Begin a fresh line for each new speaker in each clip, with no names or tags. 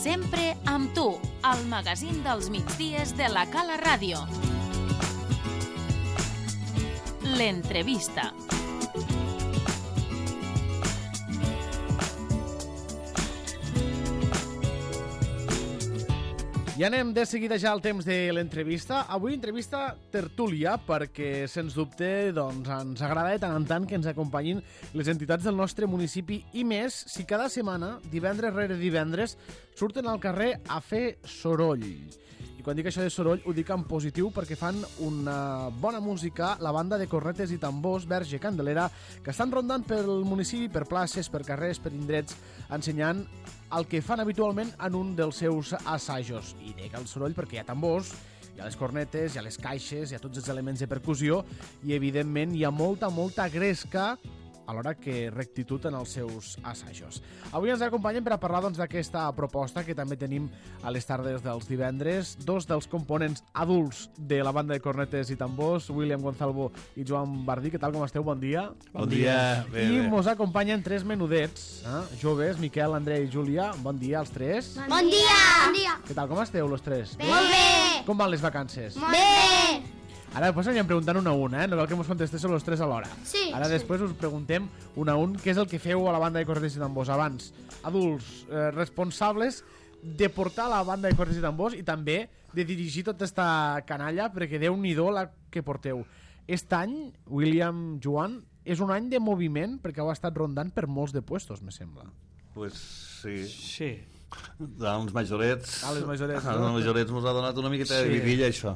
Sempre amb tu, al magazín dels migdies de la Cala Ràdio. L'entrevista.
I anem de seguida ja al temps de l'entrevista. Avui entrevista tertúlia perquè, sens dubte, doncs, ens agrada de tant en tant que ens acompanyin les entitats del nostre municipi i més si cada setmana, divendres rere divendres, surten al carrer a fer soroll. I quan dic això de soroll ho dic en positiu perquè fan una bona música, la banda de cornetes i tambors Verge Candelera, que estan rondant pel municipi, per places, per carrers, per indrets, ensenyant el que fan habitualment en un dels seus assajos. I dic el soroll perquè hi ha tambors, hi ha les cornetes, hi ha les caixes, hi ha tots els elements de percussió i, evidentment, hi ha molta gresca alhora que rectitud en els seus assajos. Avui ens acompanyen per a parlar d'aquesta proposta que també tenim a les tardes dels divendres. Dos dels components adults de la banda de cornetes i tambors, William Gonzalvo i Joan Bardí. Què tal, com esteu? Bon dia.
Bon dia. Bé,
I
bé.
mos acompanyen tres menudets, joves, Miquel, André i Júlia. Bon dia als tres.
Bon dia! Bon dia!
Què tal, com esteu, los tres?
Bé! Molt bé!
Com van les vacances?
Bé!
Ara després anirem preguntant un a un, no cal que ens contestéssiu los tres alhora.
Sí.
Ara després us preguntem un a un què és el que feu a la banda de cornetes i tambors abans. Adults responsables de portar la banda de cornetes i tambors i també de dirigir tota esta canalla, perquè Déu-n'hi-do la que porteu. Aquest any, William, Joan, és un any de moviment perquè heu estat rondant per molts de puestos, me sembla.
Pues sí.
Sí.
Els majorets...
les majorets, no?
Els majorets mos ha donat una miqueta de vidilla, això.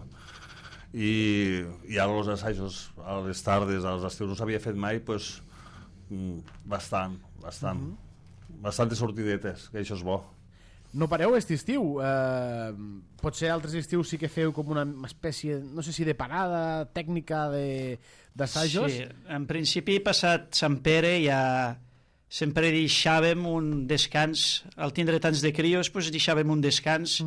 I ara els assajos a les tardes, als estius no s'havia fet mai, pues, bastant. Bastantes sortidetes, que això és bo.
No pareu aquest estiu. Potser altres estius sí que feu com una espècie, no sé si de parada tècnica d'assajos.
Sí, en principi passat Sant Pere ja sempre deixàvem un descans, al tindre tants de crios doncs deixàvem un descans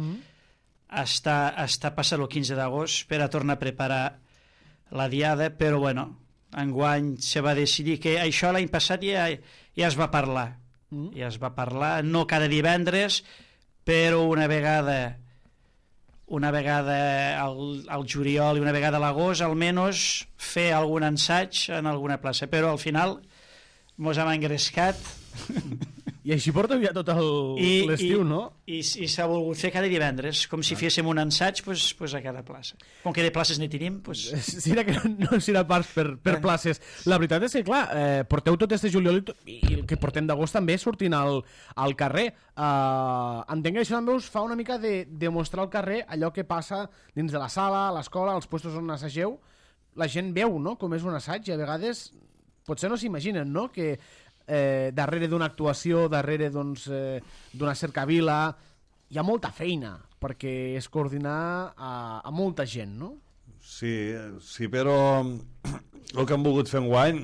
hasta passar el 15 d'agost per a tornar a preparar la diada, però bueno, enguany se va decidir que això l'any passat ja es va parlar. Ja es va parlar, no cada divendres, però una vegada al juliol i una vegada a l'agost, almenys fer algun ensaig en alguna plaça, però al final mos hem engrescat
I així porteu ja tot l'estiu, no?
I s'ha volgut fer cada divendres, com si féssim un ensaig pues a cada plaça. Com que de places ne tenim,
Serà que no serà pas per places. La veritat és que, clar, porteu tot este juliol i el que portem d'agost també sortint al carrer. Entenc que això també us fa una mica de mostrar al carrer allò que passa dins de la sala, a l'escola, als puestos on assageu. La gent veu, no?, com és un assaig i a vegades potser no s'imaginen, no?, que darrere d'una actuació, darrere d'una cercavila, hi ha molta feina perquè és coordinar a molta gent, no?
Sí, però el que hem volgut fer enguany,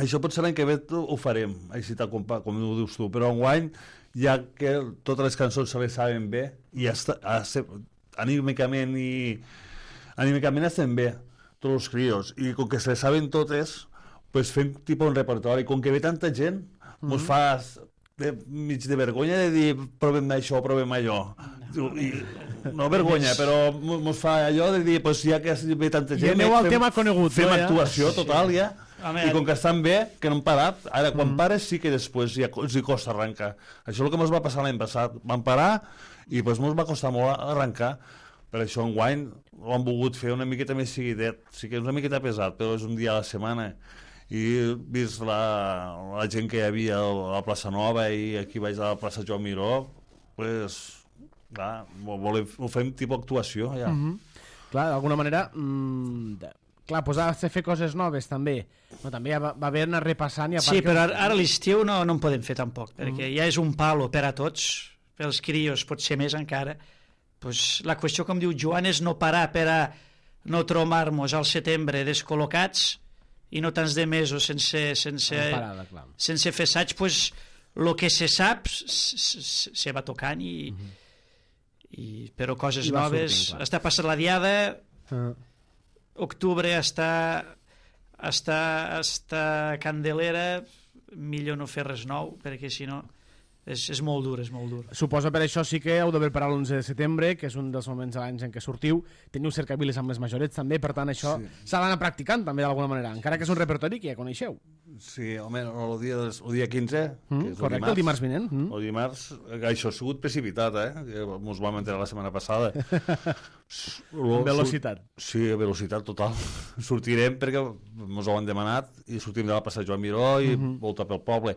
això potser l'any que ve ho farem, així com ho dius tu, però enguany, ja que totes les cançons se les saben bé, i anímicament estem bé, tots els crios, i com que se les saben totes, pues fem tipus un repertori, com que ve tanta gent, mos fa mig de vergonya de dir provem això, provem allò. No vergonya, però mos fa allò de dir, pues ja que ve tanta gent,
I aneu al tema conegut,
fem actuació total ja, i com que estan bé, que no han parat, ara quan pares sí que després ja els hi costa arrencar. Això és el que mos va passar l'any passat, vam parar i pues mos va costar molt arrencar. Per això enguany ho han volgut fer una miqueta més seguidet, sí que és una miqueta pesat, però és un dia a la setmana. I vist la gent que hi havia a la plaça Nova i aquí vaig a la plaça Joan Miró, pues, clar, ho fem tipus actuació ja.
Clar, d'alguna manera clar, pues has de fer coses noves també, però també va haver d'anar repassant
sí, però ara l'estiu no en podem fer tampoc, perquè ja és un palo per a tots, pels crios pot ser més encara. Pues la qüestió, com diu Joan, és no parar per a no trobar-nos al setembre descol·locats i no tants de mesos sense fer assaig, pues el que se sap se va tocant però coses noves, està passant la diada, octubre està Candelera, millor no fer res nou, perquè si no És molt dur, és molt dur.
Suposo per això sí que heu de preparar l'11 de setembre, que és un dels moments de l'any en què sortiu. Teniu cercaviles amb les majorets també, per tant això s'ha d'anar practicant també d'alguna manera, encara que és un repertori que ja coneixeu.
Sí, home, el dia 15, que és
correcte, el dimarts vinent.
El dimarts, això ha sigut precipitat, que mos vam enterar la setmana passada.
Velocitat.
Sí, velocitat total. Sortirem perquè mos ho han demanat i sortim de la plaça Joan Miró i volta pel poble.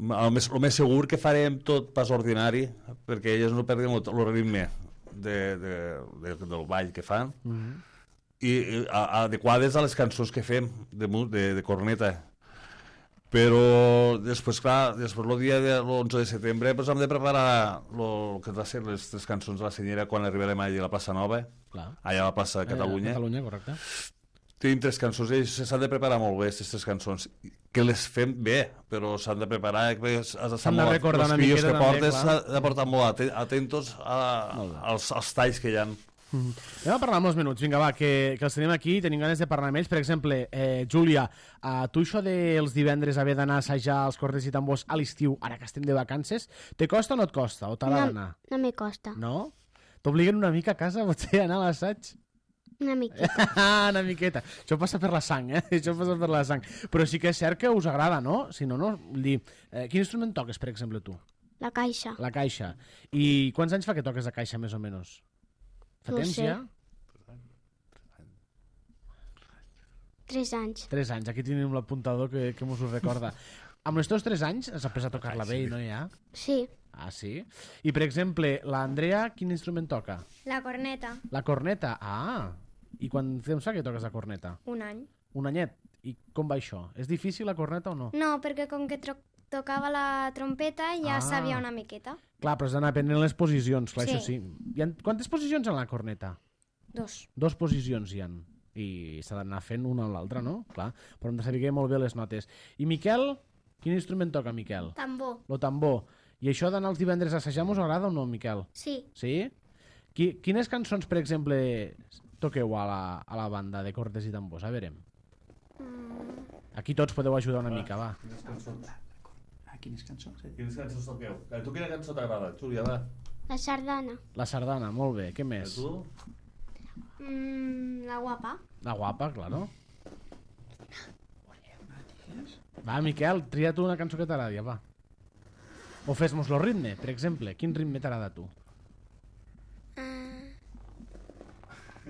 El més segur que farem tot pas ordinari, perquè elles no perdin el ritme del ball que fan, i adequades a les cançons que fem de corneta. Però després, clar, el dia de l'11 de setembre hem de preparar el que va ser les 3 cançons de la senyera quan arribarem allà a la plaça Nova, allà a la plaça de Catalunya.
Catalunya, correcte.
Tenim 3 cançons, i s'han de preparar molt bé, aquestes 3 cançons, que les fem bé, però s'han de preparar,
s'han de recordar una miqueta
que portes,
també,
s'ha de portar molt atentos als talls que hi ha.
Anem a parlar amb uns minuts, vinga va, que els tenim aquí, tenim ganes de parlar amb ells. Per exemple, Júlia, tu això dels divendres haver d'anar a assajar els cordes i tambors a l'estiu, ara que estem de vacances, te costa o no et costa? O t'ha d'anar?
No me costa.
No? T'obliguen una mica a casa, potser, a anar a l'assaig?
Una miqueta.
Una miqueta. Això passa per la sang, Això passa per la sang. Però sí que és cert que us agrada, no? Si no, no. Vull dir, quin instrument toques, per exemple, tu?
La caixa.
La caixa. I quants anys fa que toques la caixa, més o menys? Fa temps ja?
3 anys.
3 anys. Aquí tenim l'apuntador que mos ho recorda. Amb els teus 3 anys has après a tocar-la bé i no hi ha?
Sí.
Ah, sí? I, per exemple, l'Andrea, quin instrument toca?
La corneta.
La corneta? Ah! I quan temps fa que toques la corneta?
Un any.
Un anyet. I com va això? És difícil la corneta o no?
No, perquè com que tocava la trompeta ja sabia una miqueta.
Clar, però has d'anar aprenent les posicions, clar,
Sí.
això sí. Quantes posicions hi ha en la corneta?
2.
2 posicions hi ha. I s'ha d'anar fent una o l'altra, no? Clar, però hem de saber molt bé les notes. I Miquel? Quin instrument toca, Miquel?
Tambor.
Lo tambor. I això d'anar els divendres a assajar us agrada o no, Miquel?
Sí.
Sí? Quines cançons, per exemple, toqueu a la banda de cordes i tambors? A veure. Aquí tots podeu ajudar una mica, va.
Quines cançons?
Quines cançons toqueu? Tu quina cançó t'agrada, Júlia, va?
La sardana.
La sardana, molt bé. Què més?
Tu?
La guapa.
La guapa, claro. Va, Miquel, tria tu una cançó que t'agradi, va. O fes-nos el ritme, per exemple. Quin ritme t'agrada a tu?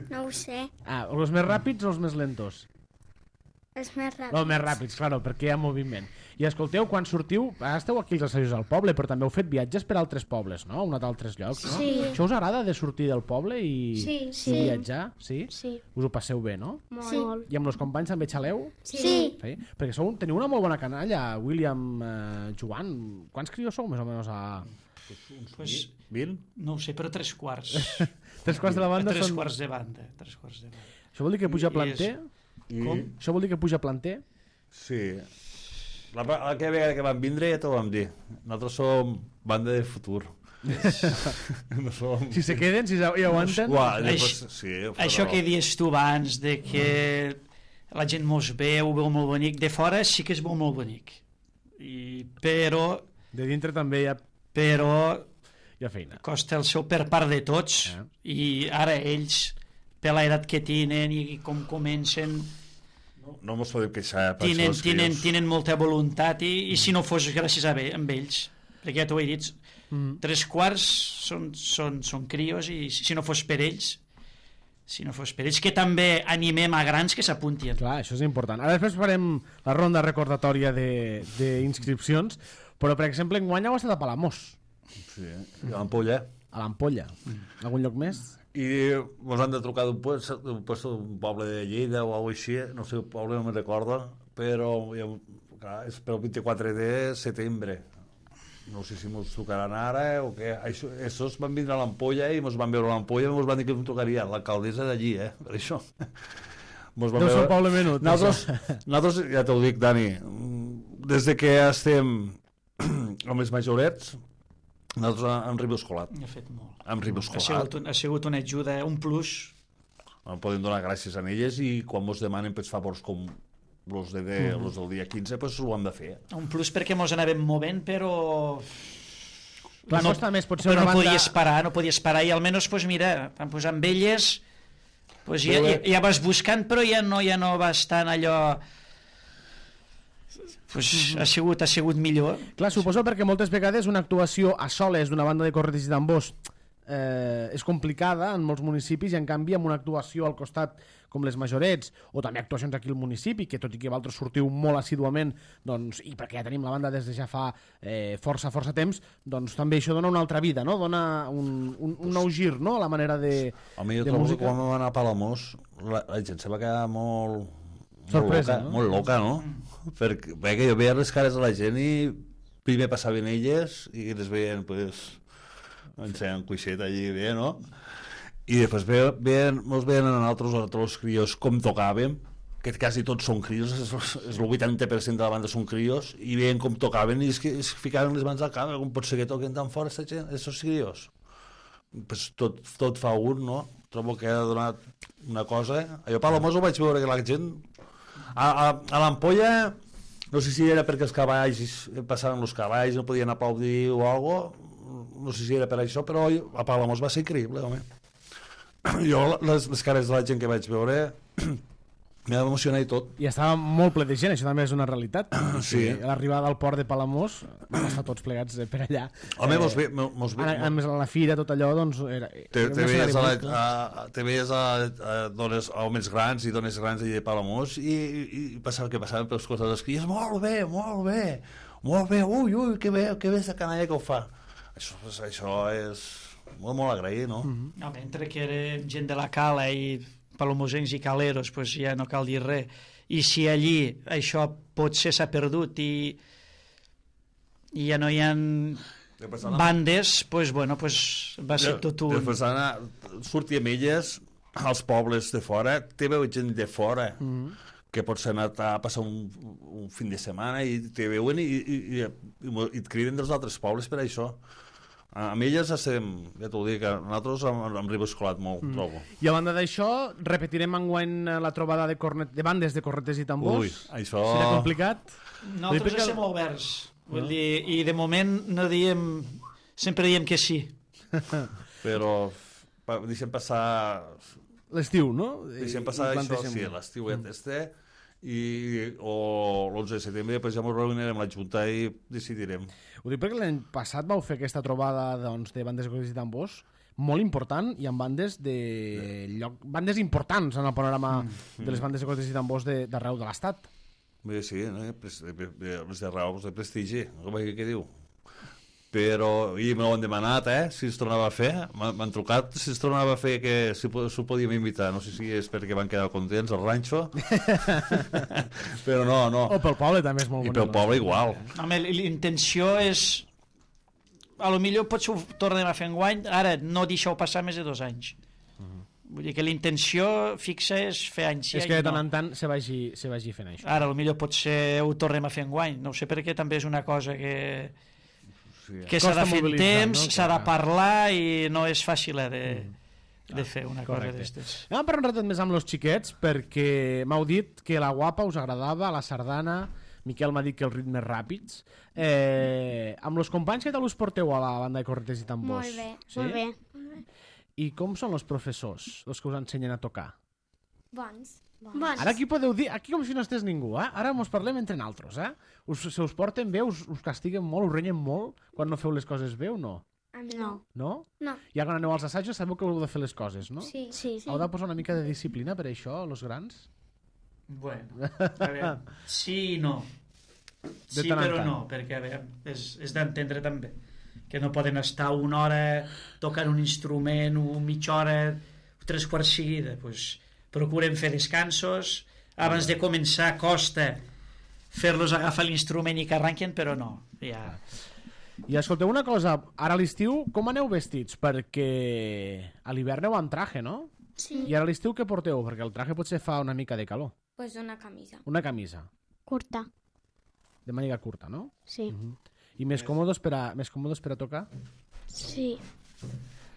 No ho sé.
Ah, els més ràpids o els més lentos?
Els més ràpids.
Els més ràpids, claro, perquè hi ha moviment. I escolteu, quan sortiu, ara esteu aquí als assajos al poble, però també heu fet viatges per altres pobles, no? Heu anat a altres llocs, no?
Sí.
Això us agrada de sortir del poble i
Sí.
viatjar? Sí?
Sí.
Us ho passeu bé, no?
Molt.
I amb els companys també xaleu?
Sí.
Sí? Perquè teniu una molt bona canalla, William, Joan. Quants crios sou, més o menys?
Pues,
20?
no ho sé, però 3/4.
3 quarts de la banda
3
són...
quarts de banda. 3 quarts de banda.
Això vol dir que puja planter?
Com?
Això vol dir que puja planter?
Sí. Aquella vegada que vam vindre ja t'ho vam dir. Nosaltres som banda de futur. No som...
Si se queden, si hi aguanten...
Això que dius tu abans, de que la gent mos veu molt bonic, de fora sí que es veu molt bonic. Però...
De dintre també hi ha...
Però...
Hi ha feina.
Costa el seu per part de tots. I ara ells, per l'edat que tenen i com comencen...
No mos podem queixar per
tenen molta voluntat i si no fos gràcies a ells, perquè ja t'ho he dit, 3/4 són crios i si no fos per ells, que també animem a grans que s'apuntin.
Clar, això és important. Ara després farem la ronda recordatòria d'inscripcions, però per exemple enguany heu estat a Palamós.
Sí, a l'Ampolla.
A l'Ampolla. Algun lloc més?
I ens han de trucar d'un poble de Lleida o alguna cosa així, no sé, el poble no me'n recordo, però clar, és per el 24 de setembre. No sé si ens trucaran ara o què. Aquests van vindre a l'Ampolla i ens van veure a l'Ampolla i ens van dir que ens trucaria l'alcaldessa d'allí, per això.
Deu ser un poble menut.
Nosaltres, ja t'ho dic, Dani, des de que estem amb els majorets, nosaltres hem riboscolat.
Ha fet molt.
Hem riboscolat.
Ha sigut una ajuda, un plus.
Podem donar gràcies a elles i quan ens demanen pels favors com los del dia 15 pues, ho han de fer.
Un plus perquè mos anàvem movent, però...
Clar, no, costa més, potser
però
una
no
banda...
podies parar, i almenys, pues, mira, vam posar amb elles, pues, ja vas buscant, però ja no vas tan allò... Pues, ha sigut millor.
Clar, suposo perquè moltes vegades una actuació a soles d'una banda de cornetes i tambors és complicada en molts municipis, i en canvi amb una actuació al costat com les Majorets, o també actuacions aquí al municipi, que tot i que vosaltres sortiu molt assíduament, doncs, i perquè ja tenim la banda des de ja fa força temps, doncs també això dona una altra vida, no? Dona un nou gir, no?, a la manera de música.
Quan vam anar a Palamós, la gent se va quedar molt
sorpresa,
molt loca, no? Perquè jo veia les cares de la gent i primer passaven elles i les veien, pues, en cuixet allí bé, no? I després mos veien a nosaltres els crios com tocàvem, que quasi tots són crios, el 80% de la banda són crios, i veien com tocaven i es ficaven les mans al cap, com pot ser que toquen tan fort aquests crios? Pues tot fa un, no? Trobo que ha donat una cosa. Jo a Palamós ho vaig veure que la gent... A l'Ampolla, no sé si era perquè els cavalls, passaven els cavalls, no podien aplaudir o alguna cosa, no sé si era per això, però a Palamós va ser increïble, home. Jo, les cares de la gent que vaig veure, m'ha emocionat i tot.
I estava molt ple de gent, això també és una realitat.
Sí.
A l'arribada al port de Palamós vam estar tots plegats per allà.
Home,
a més, a la fira, tot allò, doncs...
Te veies a homes grans i dones grans allà de Palamós i passaven per les coses dels crios, molt bé, ui, que bé esta canalla que ho fa. Això és molt agrair, no?
Home, entre que era gent de la cala i palomosencs i caleros, pues ja no cal dir res. I si allí això potser s'ha perdut i ja no hi ha bandes, pues, bueno, pues va ser tot un...
Després sortíem elles als pobles de fora, te veu gent de fora que pots anar a passar un fin de setmana i te veuen i et criden dels altres pobles per això. Amb elles estem, ja t'ho dic, nosaltres hem riboscolat molt, trobo.
I a banda d'això, repetirem enguany la trobada de bandes de cornetes i tambors?
Ui, això...
Serà complicat?
Nosaltres estem oberts. Vull dir, i de moment no diem... Sempre diem que sí.
Però deixem passar...
L'estiu, no?
Deixem passar això, sí, l'estiu o l'11 de setembre, després ja ens reunirem a la Junta i decidirem.
Ho dic perquè l'any passat vau fer aquesta trobada, doncs, de bandes de cornetes i tambors molt important, i amb bandes bandes importants en el panorama de les bandes de cornetes i tambors d'arreu de l'Estat.
Bé, sí, les d'arreu de prestigi, què diu? Però, i me l'han demanat, si es tornava a fer, m'han trucat si es tornava a fer, que si s'ho podíem invitar, no sé si és perquè van quedar contents al ranxo, però no.
O pel poble també és molt bonic.
I pel poble igual.
Home, l'intenció és... A lo millor potser ho tornem a fer enguany, ara no deixeu passar més de 2 anys. Vull dir que l'intenció fixa és fer anys.
És que de tant en tant se vagi fent això.
Ara, a lo millor potser ho tornem a fer enguany, no ho sé, perquè també és una cosa que s'ha de fer en temps, no? S'ha de parlar i no és fàcil de fer una cosa d'aquestes.
Anem a parlar un ratet més amb els xiquets, perquè m'heu dit que la guapa us agradava, la sardana, Miquel m'ha dit que els ritmes ràpids. Amb els companys, què tal us porteu a la banda de cornetes i tambors?
Molt bé,
sí?
molt bé.
I com són els professors, els que us ensenyen a tocar?
Bons.
Ara aquí podeu dir, aquí com si no estés ningú, ara mos parlem entre naltros, se us porten bé, us castiguen molt, us renyen molt quan no feu les coses bé o no?
No.
No?
No.
Ja quan aneu als assajos sabeu que heu de fer les coses, no?
Sí.
Heu de posar una mica de disciplina per això, els grans?
Bueno, a veure, sí i no. Sí, però no, perquè a veure, és d'entendre també que no poden estar una hora tocant un instrument o mitja hora, 3 quarts seguida, doncs procurem fer descansos, abans de començar costa fer-los agafar l'instrument i que arranquen, però no, ja...
I escolteu una cosa, ara a l'estiu com aneu vestits? Perquè a l'hivern aneu amb traje, no?
Sí.
I ara a l'estiu què porteu? Perquè el traje potser fa una mica de calor.
Pues una camisa.
Una camisa.
Curta.
De màniga curta, no?
Sí.
I més còmodes per a tocar?
Sí.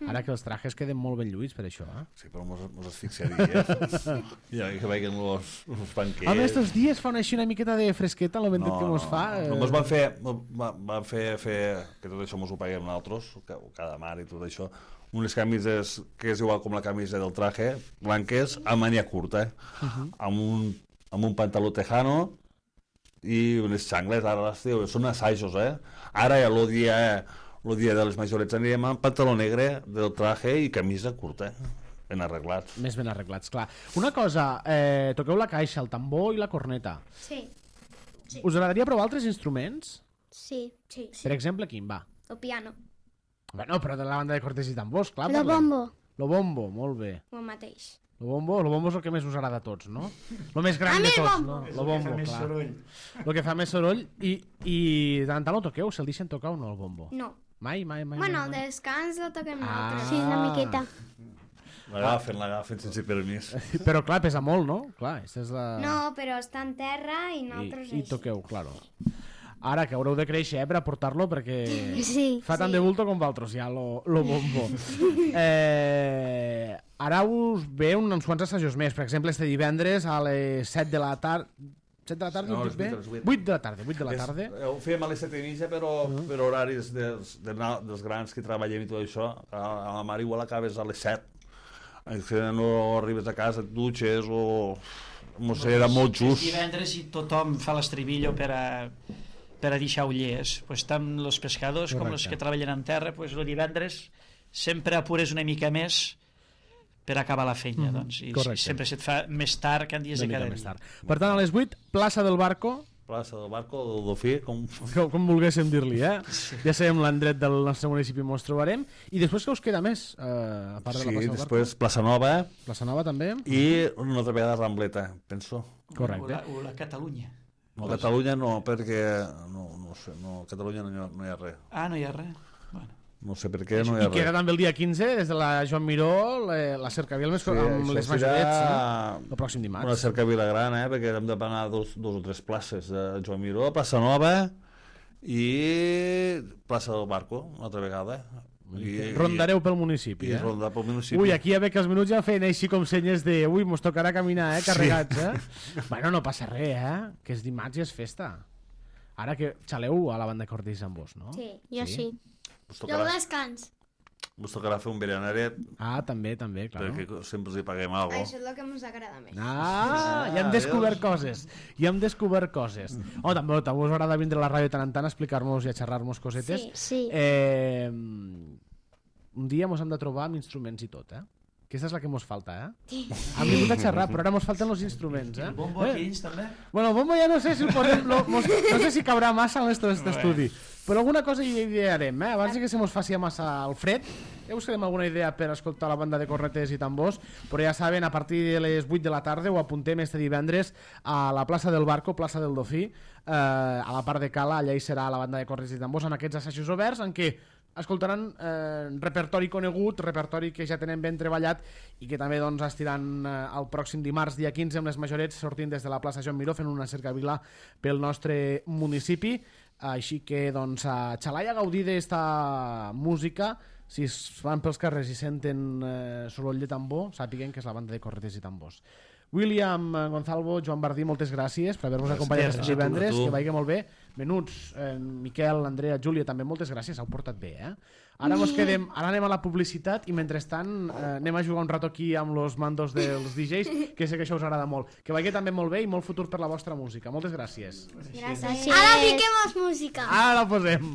Ara que els trajes queden molt ben lluïts per això, eh?
Sí, però mos asfixiaries. Ja que veien los banquets.
Home, estos dies fa així una miqueta de fresqueta en el ventet que mos fa.
Només van fer que tot això mos ho paguem nosaltres, cada mar i tot això, unes camises que és igual com la camisa del traje, blanques, a mania curta, amb un pantaló tejano i unes xangles, ara l'estiu, són assajos, Ara ja el dia de les majorets anirem amb pantaló negre del traje i camisa curta, ben arreglats.
Més ben arreglats, clar. Una cosa, toqueu la caixa, el tambor i la corneta.
Sí.
Us agradaria provar altres instruments?
Sí.
Per exemple, quin, va?
El piano,
Bueno, però de la banda de cortes i tambors, clar.
Lo bombo.
Lo bombo, molt bé.
o el mateix.
Lo bombo és el que més us agrada a tots, no? Lo més gran de tots, no? Lo bombo, clar. Lo que fa més soroll. I de tant en tant lo toqueu? Se'l deixen tocar o no, el bombo?
No.
Mai.
Bueno, el descans el toquem nosaltres.
Sí, una miqueta.
L'agafen sense permís.
Però clar, pesa molt, no? Clar, aquesta és la...
No, però està en terra i nosaltres
I toqueu, claro. Ara que haureu de créixer, per aportar-lo, perquè
Sí.
fa tant de bulto com vosaltres, ja, lo bombo. Ara us ve uns quants assajos més. Per exemple, este divendres a les 7 de la tarda... 7 de la tarda,
No,
ho dic bé?
a les 8.
8 de la tarda.
Ho fèiem a les 7:30, però per horaris dels grans que treballem i tot això, a la mar igual acabes a les 7. És que no arribes a casa, et dutxes o... No sé, era molt just.
És divendres i tothom fa l'estribillo per a deixar ullers. Pues tant els pescadors com els que treballen en terra, pues el divendres sempre apures una mica més per acabar la feina, doncs. I sempre se't fa més tard que en dies de cada dia.
Per tant, a les 8, plaça del Barco,
Plaça del Barco, del Dofí,
com volguéssim dir-li, Sí. Ja sabem l'endret del nostre municipi, ens trobarem. I després què us queda més, a part de la plaça del Barco?
Després Plaça Nova.
Plaça Nova també.
I una altra vegada Rambleta, penso.
Correcte.
O la Catalunya.
No, Catalunya no, perquè... No sé, a Catalunya no hi ha res.
Ah, no hi ha res? Bueno.
No sé per què no hi ha
I queda també el dia 15, des de la Joan Miró, la cercavila amb les majorets, el pròxim dimarts.
Una cercavila gran, perquè hem de pagar dos o tres places de Joan Miró, Plaça Nova i Plaça del Barco, una altra vegada.
Rondareu pel municipi,
I rondar pel municipi.
Ui, aquí ja ve que els minuts ja feien així com senyes de ui, mos tocarà caminar, carregats, Bueno, no passa res, que és dimarts i és festa. Ara que xaleu a la banda Cortés amb vos, no?
Sí.
Jo sí.
I el descans.
Vos tocarà fer un berenaret,
Ah, també, clar.
perquè sempre els hi paguem alguna cosa.
Això és el que ens agrada més.
Ja hem descobert coses. Oh, també us agrada vindre a la ràdio tant en tant a explicar-nos i a xerrar-nos cosetes.
Sí.
Un dia mos hem de trobar amb instruments i tot, Aquesta és la que mos falta, Hem vingut a xerrar, però ara mos falten els instruments,
El bombo aquí dins, també?
Bueno, el bombo ja no sé si el posem, no sé si cabrà massa en aquest estudi, però alguna cosa hi idearem, Abans que se mos faci massa el fred, ja buscarem alguna idea per escoltar la banda de cornetes i tambors, però ja saben, a partir de les 8 de la tarda ho apuntem este divendres a la plaça del Barco, plaça del Dofí, a la part de Cala, allà hi serà la banda de cornetes i tambors, amb aquests assajos oberts, en què escoltaran repertori conegut, repertori que ja tenen ben treballat i que també doncs, estiran el pròxim dimarts, dia 15, amb les majorets sortint des de la plaça Joan Miró fent una cercavila pel nostre municipi. Així que doncs, a xalar i a gaudir d'esta música. Si es van pels carrers i senten soroll de tambor, sàpiguen que és la banda de cornetes i tambors. William Gonzalvo, Joan Bardí, moltes gràcies per haver-nos acompanyat aquest divendres, que vagi molt bé. Menuts, Miquel, Andrea, Júlia, també moltes gràcies, heu portat bé, Ara anem a la publicitat i mentrestant anem a jugar un rato aquí amb los mandos dels DJs, que sé que això us agrada molt. Que vagi també molt bé i molt futur per la vostra música. Moltes gràcies.
Gràcies.
Ara fiquem música.
Ara la posem.